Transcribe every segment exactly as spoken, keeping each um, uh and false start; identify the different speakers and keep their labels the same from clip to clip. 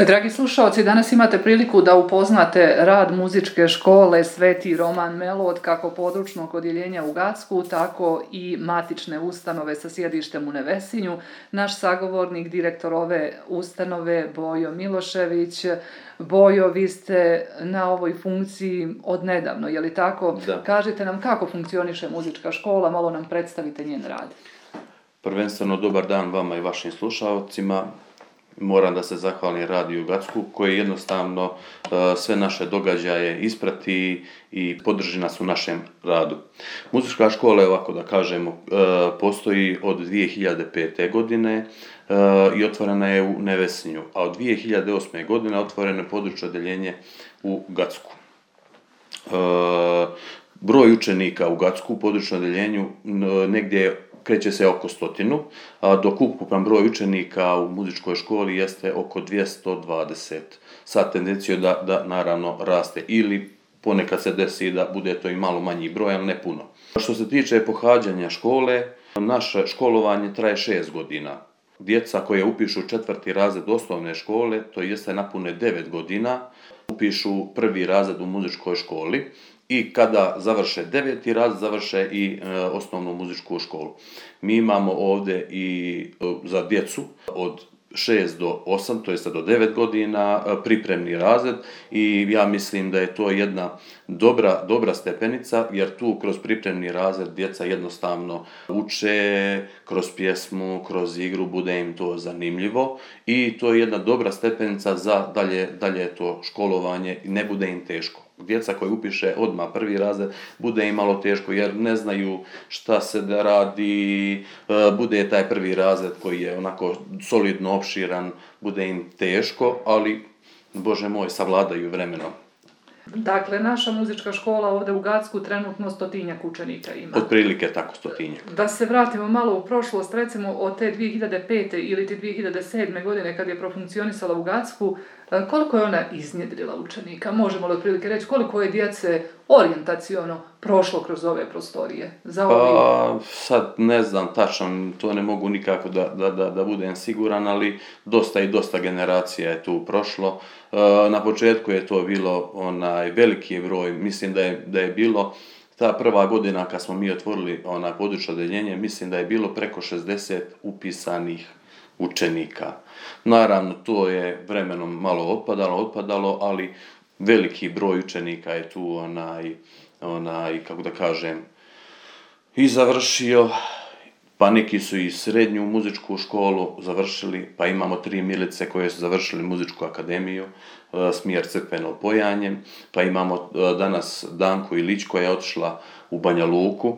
Speaker 1: Dragi slušalci, danas imate priliku da upoznate rad muzičke škole Sveti Roman Melod, kako područnog odjeljenja u Gacku, tako i matične ustanove sa sjedištem u Nevesinju. Naš sagovornik, direktor ove ustanove, Bojo Milošević. Bojo, vi ste na ovoj funkciji odnedavno, je li tako?
Speaker 2: Da.
Speaker 1: Kažite nam kako funkcioniše muzička škola, malo nam predstavite njen rad.
Speaker 2: Prvenstveno dobar dan vama i vašim slušalcima. Moram da se zahvalim Radiju Gacku koji jednostavno uh, sve naše događaje isprati i podrži nas u našem radu. Muzička škola je, ovako da kažemo, uh, postoji od dvije hiljade pete. godine uh, i otvorena je u Nevesinju, a od dvije hiljade osme. godine otvoreno je područno odjeljenje u Gacku. Uh, broj učenika u Gacku u područnom odjeljenju uh, negdje kreće se oko stotinu, dok ukupan broj učenika u muzičkoj školi jeste oko dvjesto dvadeset, sa tendencijom da, da naravno raste ili ponekad se desi da bude to i malo manji broj, ali ne puno. Što se tiče pohađanja škole, naše školovanje traje šest godina. Djeca koje upišu četvrti razred osnovne škole, to jeste napune devet godina, upišu prvi razred u muzičkoj školi. I kada završe deveti razred, završe i e, osnovnu muzičku školu. Mi imamo ovdje i e, za djecu od šest do osam, to jest do devet godina, e, pripremni razred i ja mislim da je to jedna dobra, dobra stepenica, jer tu kroz pripremni razred djeca jednostavno uče, kroz pjesmu, kroz igru, bude im to zanimljivo i to je jedna dobra stepenica za dalje, dalje to školovanje i ne bude im teško. Djeca koji upiše odmah prvi razred bude im malo teško jer ne znaju šta se da radi, bude taj prvi razred koji je onako solidno opširan, bude im teško, ali Bože moj, savladaju vremenom.
Speaker 1: Dakle, naša muzička škola ovdje u Gacku trenutno stotinjak učenika ima.
Speaker 2: Otprilike tako stotinjak.
Speaker 1: Da se vratimo malo u prošlost, recimo od te dvije hiljade pete ili te dvije hiljade sedme. godine kad je profunkcionisala u Gacku, koliko je ona iznjedrila učenika? Možemo li otprilike reći koliko je djece orijentaciono prošlo kroz ove prostorije? Za ovi...
Speaker 2: Pa, sad ne znam tačno, to ne mogu nikako da, da, da, da budem siguran, ali dosta i dosta generacija je tu prošlo. Na početku je to bilo onaj veliki broj, mislim da je, da je bilo ta prva godina kad smo mi otvorili onaj područno odjeljenje, mislim da je bilo preko šezdeset upisanih učenika. Naravno, to je vremenom malo otpadalo, otpadalo, ali veliki broj učenika je tu onaj, onaj, kako da kažem, i završio, pa neki su i srednju muzičku školu završili, pa imamo tri Milice koje su završili muzičku akademiju, smjer crkveno pojanje, pa imamo danas Danku Ilić koja je otišla u Banja Luku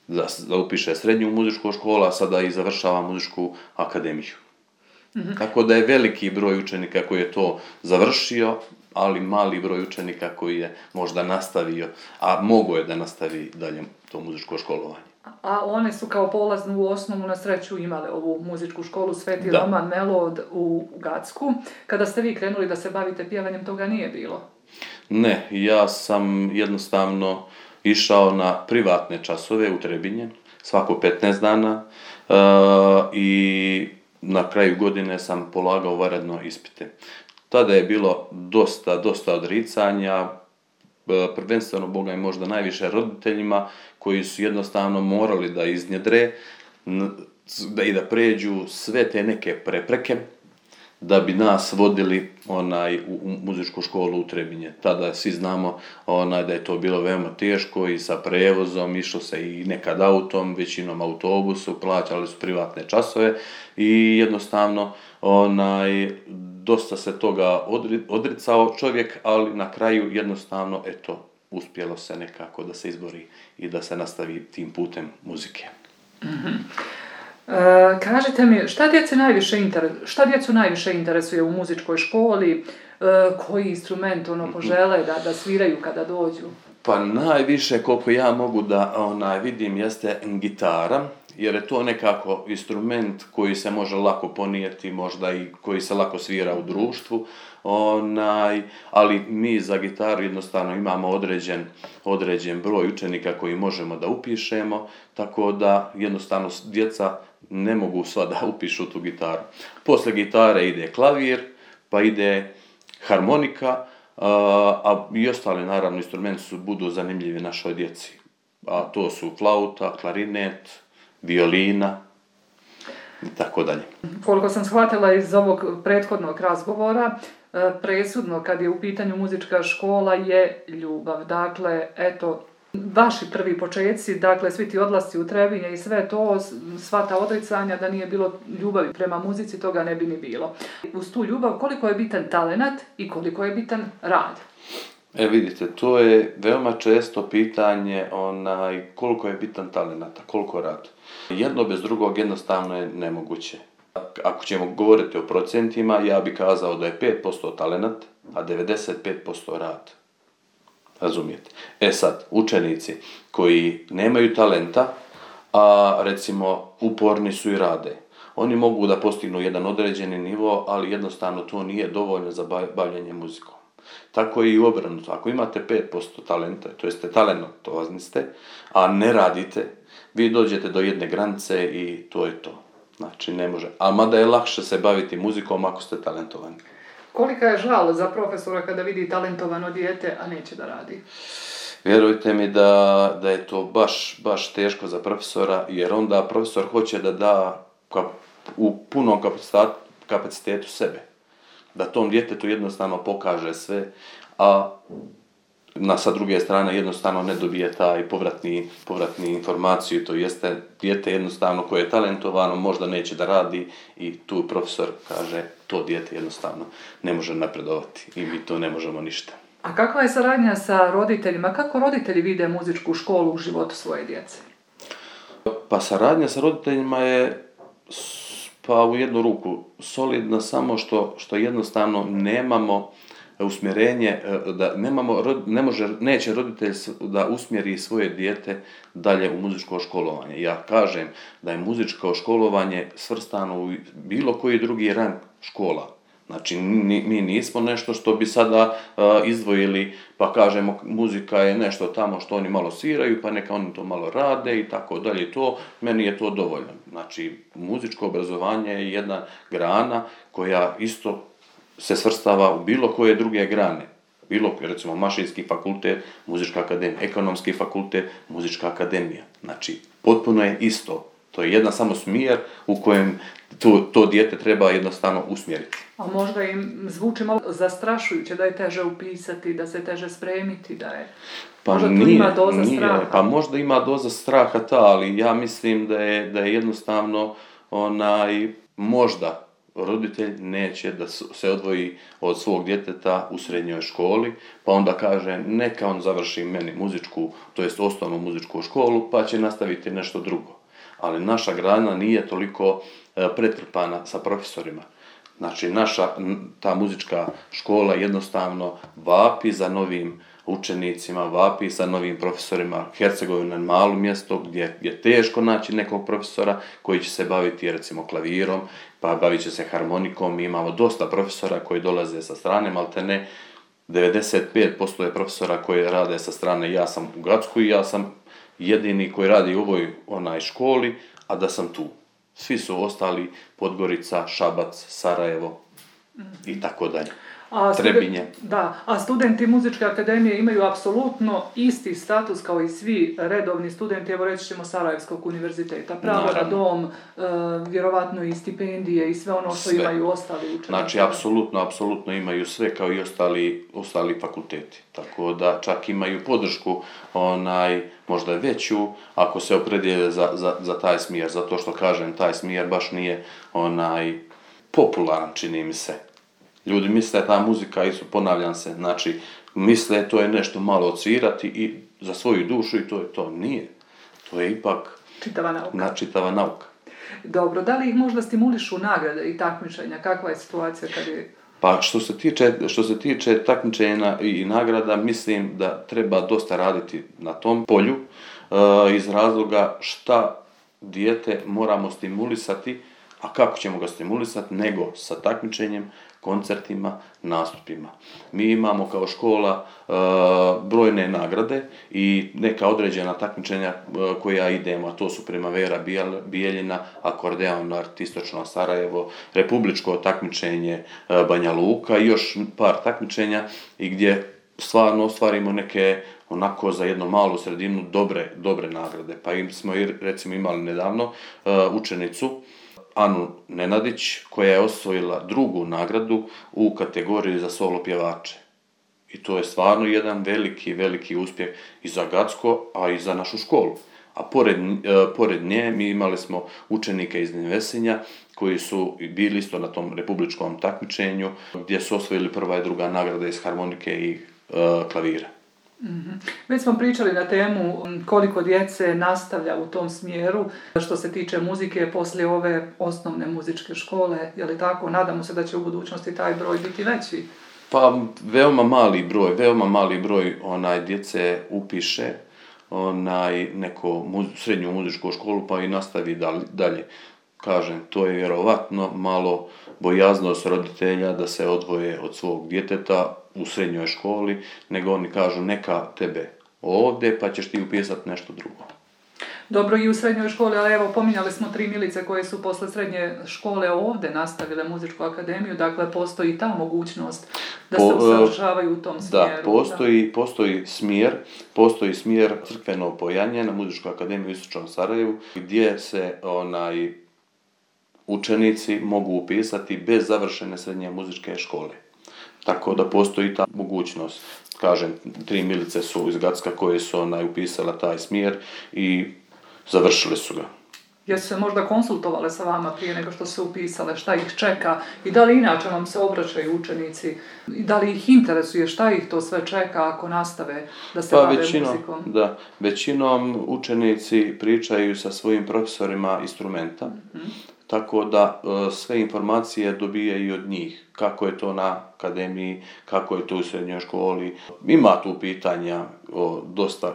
Speaker 2: da, da upiše srednju muzičku školu, a sada i završava muzičku akademiju. Mm-hmm. Tako da je veliki broj učenika koji je to završio, ali mali broj učenika koji je možda nastavio, a mogo je da nastavi dalje to muzičko školovanje.
Speaker 1: A one su kao polaznu osnovu na sreću imale ovu muzičku školu Sveti da. Roman Melod u Gacku. Kada ste vi krenuli da se bavite pjevanjem, toga nije bilo?
Speaker 2: Ne, ja sam jednostavno išao na privatne časove u Trebinje, svako petnaest dana uh, i na kraju godine sam polagao vanredno ispite. Tada je bilo dosta, dosta odricanja, prvenstveno Boga i možda najviše roditeljima koji su jednostavno morali da iznjedre da i da pređu sve te neke prepreke da bi nas vodili onaj u, u muzičku školu u Trebinje. Tada svi znamo onaj da je to bilo veoma teško i sa prevozom, išlo se i nekad autom, većinom autobusu, plaćali su privatne časove i jednostavno onaj dosta se toga odri, odricao čovjek, ali na kraju jednostavno eto uspjelo se nekako da se izbori i da se nastavi tim putem muzike.
Speaker 1: Mm-hmm. E, kažite mi, šta djecu najviše interes, šta djecu najviše interesuje u muzičkoj školi, e, koji instrument ono požele da, da sviraju kada dođu?
Speaker 2: Pa najviše koliko ja mogu da onaj vidim jeste gitara, jer je to nekako instrument koji se može lako ponijeti, možda i koji se lako svira u društvu, onaj, ali mi za gitaru jednostavno imamo određen, određen broj učenika koji možemo da upišemo, tako da jednostavno djeca ne mogu sva da upišu tu gitaru. Posle gitare ide klavir, pa ide harmonika, a, a i ostali naravno instrumenti su budu zanimljivi našoj djeci. A to su flauta, klarinet, violina i tako dalje.
Speaker 1: Koliko sam shvatila iz ovog prethodnog razgovora, presudno kad je u pitanju muzička škola je ljubav. Dakle, eto, vaši prvi početci, dakle, svi ti odlasci u Trebinje i sve to, sva ta odricanja, da nije bilo ljubavi prema muzici, toga ne bi ni bilo. Uz tu ljubav, koliko je bitan talenat i koliko je bitan rad?
Speaker 2: E vidite, to je veoma često pitanje onaj, koliko je bitan talenat, a koliko rad. Jedno bez drugog jednostavno je nemoguće. Ako ćemo govoriti o procentima, ja bih kazao da je pet posto talenat, a devedeset pet posto rad. Razumijete? E sad, učenici koji nemaju talenta, a recimo uporni su i rade, oni mogu da postignu jedan određeni nivo, ali jednostavno to nije dovoljno za bavljenje muzikom. Tako i obrnuto. Ako imate pet posto talenta, to jeste talentovazni ste, a ne radite, vi dođete do jedne granice i to je to. Znači ne može. A mada je lakše se baviti muzikom ako ste talentovani.
Speaker 1: Kolika je žal za profesora kada vidi talentovano dijete, a neće da radi?
Speaker 2: Vjerujte mi da, da je to baš, baš teško za profesora, jer onda profesor hoće da da kap, u punom kapacitetu sebe. Da tom djetetu jednostavno pokaže sve, a na, sa druge strane jednostavno ne dobije taj povratni, povratni informaciju, to jeste dijete jednostavno koje je talentovano možda neće da radi i tu profesor kaže to dijete jednostavno ne može napredovati i mi to ne možemo ništa.
Speaker 1: A kakva je saradnja sa roditeljima? Kako roditelji vide muzičku školu u životu svoje djece?
Speaker 2: Pa saradnja sa roditeljima je pa u jednu ruku solidna, samo što, što jednostavno nemamo usmjerenje, da nemamo, ne može, neće roditelj da usmjeri svoje dijete dalje u muzičko školovanje. Ja kažem da je muzičko školovanje svrstano u bilo koji drugi rang škola. Znači, mi nismo nešto što bi sada uh, izdvojili, pa kažemo muzika je nešto tamo što oni malo sviraju, pa neka oni to malo rade i tako dalje. To, meni je to dovoljno. Znači, muzičko obrazovanje je jedna grana koja isto se svrstava u bilo koje druge grane. Bilo, recimo, mašinski fakultet, muzička akademija, ekonomski fakultet, muzička akademija. Znači, potpuno je isto. To je jedan samo smjer u kojem to, to dijete treba jednostavno usmjeriti.
Speaker 1: A možda im zvuči malo zastrašujuće da je teže upisati, da se teže spremiti, da je...
Speaker 2: Pa
Speaker 1: možda
Speaker 2: nije,
Speaker 1: tu ima doza
Speaker 2: nije,
Speaker 1: straha.
Speaker 2: Pa možda ima doza straha ta, ali ja mislim da je, da je jednostavno onaj, možda roditelj neće da se odvoji od svog djeteta u srednjoj školi, pa onda kaže neka on završi meni muzičku, to jest osnovnu muzičku školu, pa će nastaviti nešto drugo. Ali naša grana nije toliko pretrpana sa profesorima. Znači, naša ta muzička škola jednostavno vapi za novim učenicima, vapi za novim profesorima. Hercegovina je malo mjesto gdje je teško naći nekog profesora koji će se baviti recimo klavirom, pa bavit će se harmonikom. Mi imamo dosta profesora koji dolaze sa strane, maltene devedeset pet posto je profesora koji rade sa strane. Ja sam u Gacku i ja sam jedini koji radi u ovoj onaj školi, a da sam tu. Svi su ostali Podgorica, Šabac, Sarajevo i tako dalje.
Speaker 1: A
Speaker 2: Trebinje.
Speaker 1: Studen, da, a studenti muzičke akademije imaju apsolutno isti status kao i svi redovni studenti, evo reći ćemo Sarajevskog univerziteta. Pravo na dom, e, vjerovatno i stipendije i sve ono što sve imaju ostali učenici.
Speaker 2: Znači, apsolutno, apsolutno imaju sve kao i ostali, ostali fakulteti. Tako da čak imaju podršku onaj, možda veću ako se opredijele za, za, za taj smjer. Zato što kažem, taj smjer baš nije onaj popularan, čini mi se. Ljudi misle ta muzika, isto ponavljam se, znači misle to je nešto malo odsvirati i za svoju dušu i to je to. Nije. To je ipak
Speaker 1: čitava nauka.
Speaker 2: Na, čitava nauka.
Speaker 1: Dobro, da li ih možda stimulišu nagrade i takmičenja? Kakva je situacija kad je...
Speaker 2: Pa što se tiče, što se tiče takmičenja i nagrada, mislim da treba dosta raditi na tom polju uh, iz razloga šta dijete moramo stimulisati, a kako ćemo ga stimulisati, nego sa takmičenjem koncertima, nastupima. Mi imamo kao škola e, brojne nagrade i neka određena takmičenja e, koja idemo, a to su Primavera Bijeljina, Akordeon Art Istočno Sarajevo, republičko takmičenje e, Banja Luka i još par takmičenja i gdje stvarno ostvarimo neke onako za jednu malu sredinu dobre, dobre nagrade. Pa im smo recimo imali nedavno uh, učenicu Anu Nenadić koja je osvojila drugu nagradu u kategoriji za solo pjevače. I to je stvarno jedan veliki, veliki uspjeh i za Gacko, a i za našu školu. A pored, uh, pored nje mi imali smo učenike iz Nevesinja koji su bili isto na tom republičkom takmičenju gdje su osvojili prva i druga nagrada iz harmonike i uh, klavira.
Speaker 1: Mm-hmm. Već smo pričali na temu koliko djece nastavlja u tom smjeru što se tiče muzike poslije ove osnovne muzičke škole, je li tako? Nadamo se da će u budućnosti taj broj biti veći.
Speaker 2: Pa veoma mali broj, veoma mali broj onaj djece upiše onaj neko muz, srednju muzičku školu pa i nastavi dalje. Kažem, to je vjerovatno malo bojaznost roditelja da se odvoje od svog djeteta u srednjoj školi, nego oni kažu neka tebe ovdje pa ćeš ti upisati nešto drugo.
Speaker 1: Dobro, i u srednjoj školi, ali evo pominjali smo tri milice koje su posle srednje škole ovdje nastavile muzičku akademiju, dakle postoji ta mogućnost da se usavršavaju u tom smjeru.
Speaker 2: Da, postoji, da. postoji smjer, postoji smjer crkveno pojanje na muzičku akademiju u Istočnom Sarajevu gdje se onaj učenici mogu upisati bez završene srednje muzičke škole. Tako da postoji ta mogućnost. Kažem, tri milice su iz Gacka koje su onaj upisala taj smjer i završili su ga.
Speaker 1: Jesu se možda konsultovale sa vama prije nego što su upisale, šta ih čeka i da li inače vam se obraćaju učenici i da li ih interesuje šta ih to sve čeka ako nastave da se
Speaker 2: pa,
Speaker 1: bave
Speaker 2: većinom,
Speaker 1: muzikom?
Speaker 2: Da, većinom učenici pričaju sa svojim profesorima instrumenta, mm-hmm. tako da sve informacije dobijaju od njih, kako je to na akademiji, kako je to u srednjoj školi. Ima tu pitanja o, dosta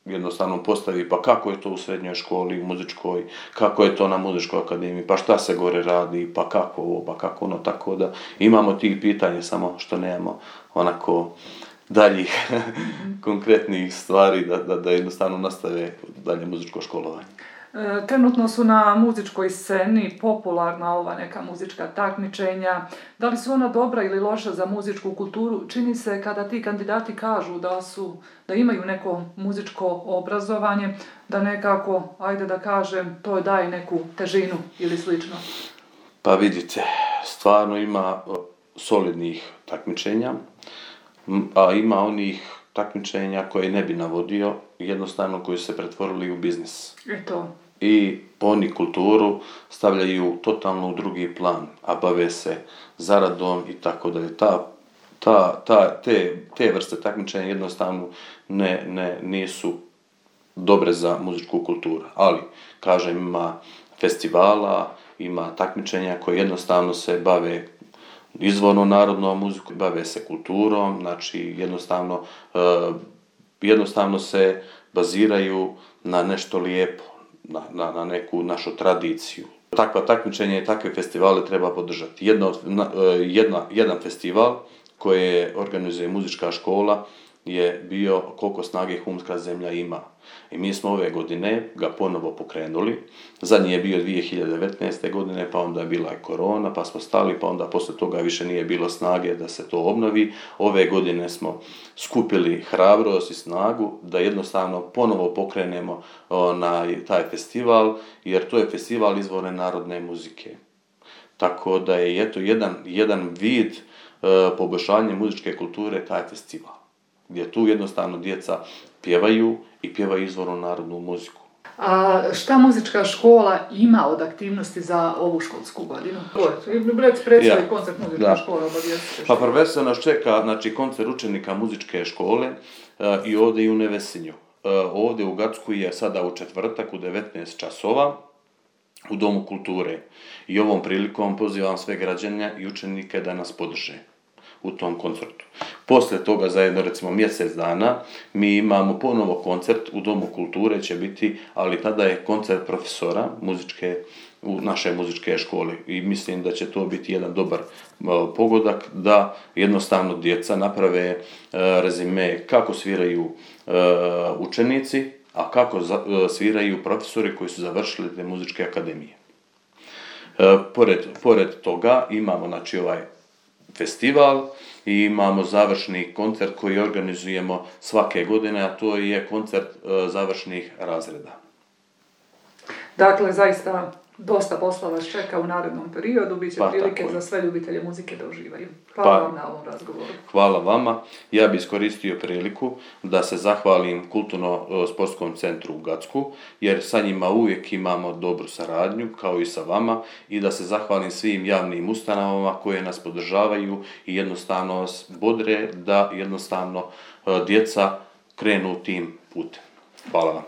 Speaker 2: jednostavno postavi, pa kako je to u srednjoj školi, u muzičkoj, kako je to na muzičkoj akademiji, pa šta se gore radi, pa kako ovo, pa kako ono, tako da imamo tih pitanja, samo što nemamo onako daljih konkretnih stvari da, da, da jednostavno nastave dalje muzičko školovanje.
Speaker 1: Trenutno su na muzičkoj sceni popularna ova neka muzička takmičenja. Da li su ona dobra ili loša za muzičku kulturu? Čini se kada ti kandidati kažu da su, da imaju neko muzičko obrazovanje, da nekako, ajde da kažem, to daje neku težinu ili slično.
Speaker 2: Pa vidite, stvarno ima solidnih takmičenja, a ima onih takmičenja koje ne bi navodio, jednostavno koji su se pretvorili u biznis.
Speaker 1: Eto.
Speaker 2: I oni kulturu stavljaju totalno u drugi plan, a bave se zaradom i tako dalje. Ta, ta, ta, te, te vrste takmičenja jednostavno ne, ne, nisu dobre za muzičku kulturu. Ali, kažem, ima festivala, ima takmičenja koje jednostavno se bave izvorno narodnom muzikom, bave se kulturom, znači jednostavno, uh, jednostavno se baziraju na nešto lijepo, na, na, na neku našu tradiciju. Takva takmičenja i takve festivale treba podržati. Jedna, jedna, jedan festival koji organizuje muzička škola je bio Koliko snage humska zemlja ima. I mi smo ove godine ga ponovo pokrenuli. Zadnji je bio dvije hiljade devetnaeste. godine, pa onda je bila i korona, pa smo stali, pa onda posle toga više nije bilo snage da se to obnovi. Ove godine smo skupili hrabrost i snagu da jednostavno ponovo pokrenemo onaj, taj festival, jer to je festival izvorne narodne muzike. Tako da je eto jedan, jedan vid uh, poboljšanja muzičke kulture taj festival, gdje tu jednostavno djeca pjevaju i pjevaju izvornu narodnu muziku.
Speaker 1: A šta muzička škola ima od aktivnosti za ovu školsku godinu? Reci predstavi ja, koncert muzičke da. škole obavijestite.
Speaker 2: Pa prvenstveno nas čeka znači, koncert učenika muzičke škole uh, i ovdje i u Nevesinju. Uh, ovdje u Gacku je sada u četvrtak u devetnaest časova u Domu kulture. I ovom prilikom pozivam sve građane i učenike da nas podrže u tom koncertu. Poslije toga, za jedno recimo mjesec dana, mi imamo ponovo koncert u Domu kulture će biti, ali tada je koncert profesora muzičke u naše muzičke škole i mislim da će to biti jedan dobar pogodak da jednostavno djeca naprave rezime kako sviraju učenici, a kako sviraju profesori koji su završili te muzičke akademije. Pored, pored toga imamo znači ovaj festival i imamo završni koncert koji organizujemo svake godine, a to je koncert završnih razreda.
Speaker 1: Dakle, zaista dosta posla vas čeka u narednom periodu, bit će
Speaker 2: pa,
Speaker 1: prilike za sve ljubitelje muzike da uživaju. Hvala pa, vam na ovom razgovoru.
Speaker 2: Hvala vama. Ja bih iskoristio priliku da se zahvalim Kulturno-sportskom centru u Gacku, jer sa njima uvijek imamo dobru saradnju, kao i sa vama, i da se zahvalim svim javnim ustanovama koje nas podržavaju i jednostavno nas bodre da jednostavno djeca krenu tim putem. Hvala vam.